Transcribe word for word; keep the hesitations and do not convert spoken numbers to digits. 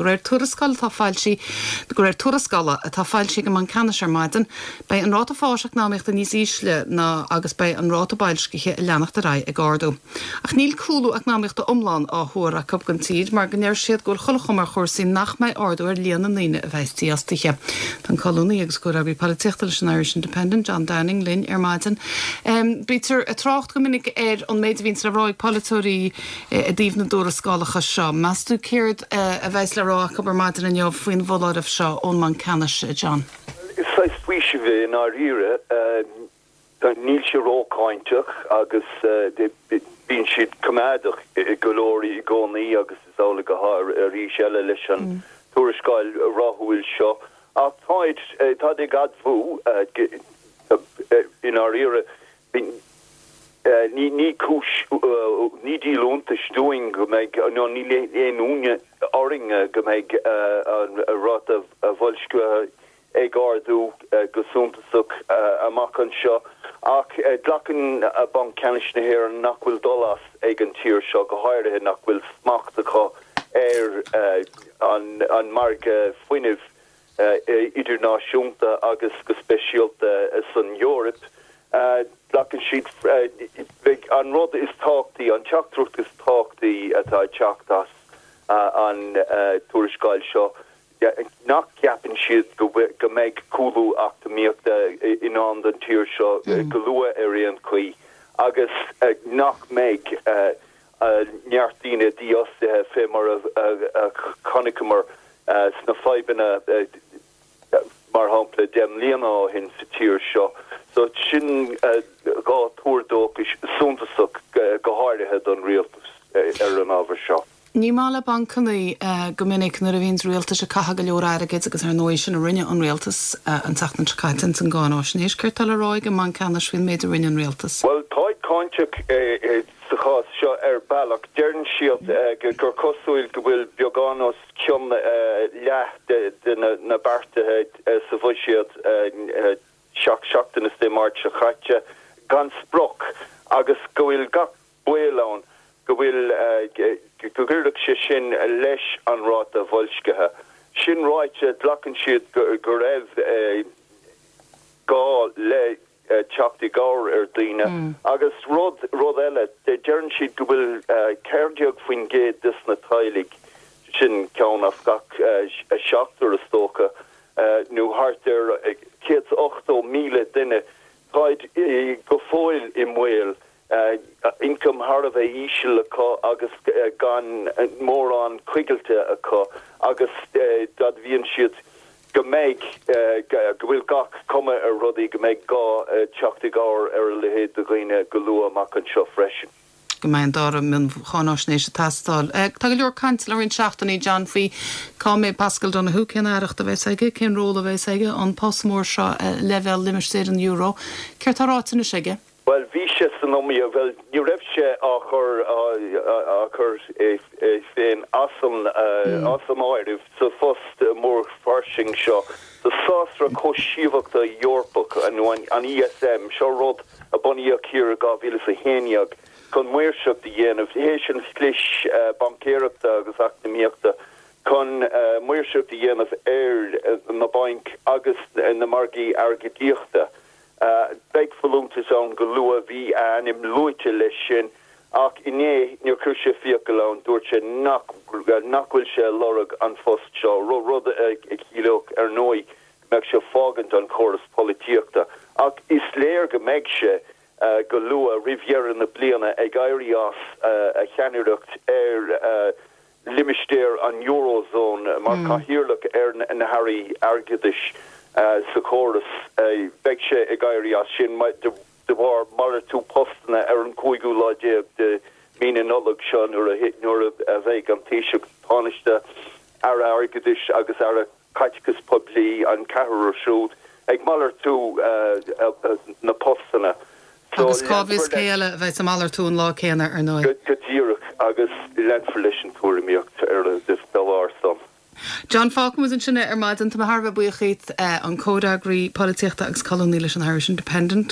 De réir tuarascáil atá foilsithe de réir tuarascála atá foilsithe ag an mBanc Ceannais ar maidin, beidh an ráta fáis eacnamaíochta níos ísle ná agus beidh an ráta boilscithe ag leanacht ar aghaidh ag ardú. Ach níl cúlú eacnamaíochta iomlán á thuar acu don tír mar go ndeir siad go bhfuil chuile chuma ar chúrsaí nach mbeidh ardú ar líon na ndaoine a bheas dífhostaithe. Tá an colúnaí agus comhfhreagraí polaitíochta leis an Irish Independent John Downing linn ar maidin. Um, Bítear ag trácht go minic ar an méid a bhíonn le rá ag polaiteoirí i dtaobh na dtuarascálacha seo. Meas tú céard uh, a bheas le rá acu ar maidin inniu faoin bhfoláireamh seo ón mBanc Ceannais John. Is saghas faoiseamh é i ndáiríre níl sé rócháinteach agus bíonn siad coimeádach go leor i gcónaí agus is amhlaidh go arís eile leis an mm. tuarascáil ráithiúil seo ach táid tá ag admhú i ndáiríre ní ní cúis ní díol iontais dúinn go mbeidh nó ní aon ionadh orainn go mbeidh an ráta boilscithe ag ardú go suntasach amach anseo ach glacann Banc Ceannais na hÉireann nach bhfuil dul as ag an tír seo go háirithe nach bhfuil smacht acu ar an an margadh fuinnimh idirnáisiúnta agus go speisialta san Eoraip. Glacann siad an rud is tábhachtaí an teachtaireacht is tábhachtaí atá teacht as an tuarascáil seo nach gceapann siad go go mbeidh cúlú eacnamaíochta i ndán don tír seo go luath ar aon chaoi agus nach mbeidh neart daoine dífhostaithe fé mar a chonaiceamar sna fadhbanna mar shampla deich mbliana ó shin sa tír seo. So sin dhá tuar dóchais suntasach go háirithe don rialtas ar an ábhar seo. Ní maith le bancanna go minic nuair a bhíonn rialtas ag caitheamh go leor airgid agus ar ndóigh sin a rinne an rialtas an tseachtain seo caite an gánáisnéis céard atá le rá ag an mBanc Ceannais faoin méid a rinne an rialtas. Well táid cáinteach sa chás seo ar bealach deireann siad gur cosúil go bhfuil beagán os cionn leath de na beartaithe sa bhuiséad seacht seachtaine Dé Máirt seo caite gan sprioc agus go bhfuil gach baol ann go bhfuil go gcuirfeadh sé sin leis an ráta boilscithe. Sin ráite glacann siad go raibh gá le teacht i gcabhair ar daoine agus rud rud eile deireann siad go bhfuil ceathair déag faoin gcéad des na teaghlaigh sin ceann as gach seachtar is dócha nó thart ar céad ochtó míle duine táid go fóill i mbaol ioncam thar a bheith íseal acu agus gan mórán coigilte acu agus d'admhaíonn siad go mbeidh go bhfuil gach cuma ar rudaí go mbeidh gá teacht i gcabhair ar a leithéid de dhaoine go luath amach anseo freisin. go mbeidh an dara mioncháinaisnéis ag teastáil. Tá go leor cainte le roinnt seachtainí John faoi cá mbeidh Pascal Donoghue cén aireacht a bheas aige, cén ról a bheas aige an post mór seo leibhéal limistéar an euro, Céard atá ráite anois aige? Well bhí sé san iomaíocht well ní raibh sé á chur á chur é féin as an as an áireamh sa phost mór fairsing seo sa sásra cobhsaíochta Eorpach nó an ESM seo rud a bunaíodh thiar dhá mhíle a haon déag chun maoirseacht a dhéanamh théis an chlis baincéireachta agus eacnamaíochta chun maoirseacht a dhéanamh ar na bainc agus na margaí airgeadaíochta. Beidh folúntas ann go luath bhí ainm luaite leis sin ach inné níor chuir sé fiacail ann dúirt sé nach nach bhfuil sé lorg an phost seo ro rud a chiallódh ar ndóigh mbeadh sé fágaint an chóras polaitíochta ach is léir go mbeidh sé go luath roimh dheireadh na bliana ag éirí as a cheannaireacht ar limistéar an Eurozone mar cathaoirleach ar na hairí airgeadais sa chóras beidh sé ag éirí as sin de bharr malartú postanna ar an cúigiú lá déag de mí na Nollag seo nuair nuair a bheidh an Taoiseach Tánaiste aire airgeadais agus aire caiteachais poiblí an ceathrar siúd ag malartú na postanna. Agus cá bhfios cé eile a bheidh ag malartú an lá céanna ar ndóigh. Go díreach agus leanfar leis an tuairimíocht ar de bharr san. John fágfaimid ansin ar maidin tá mé thar a bheith buíoch an comhfhreagraí polaitíochta agus colúnaí leis an Irish Independent.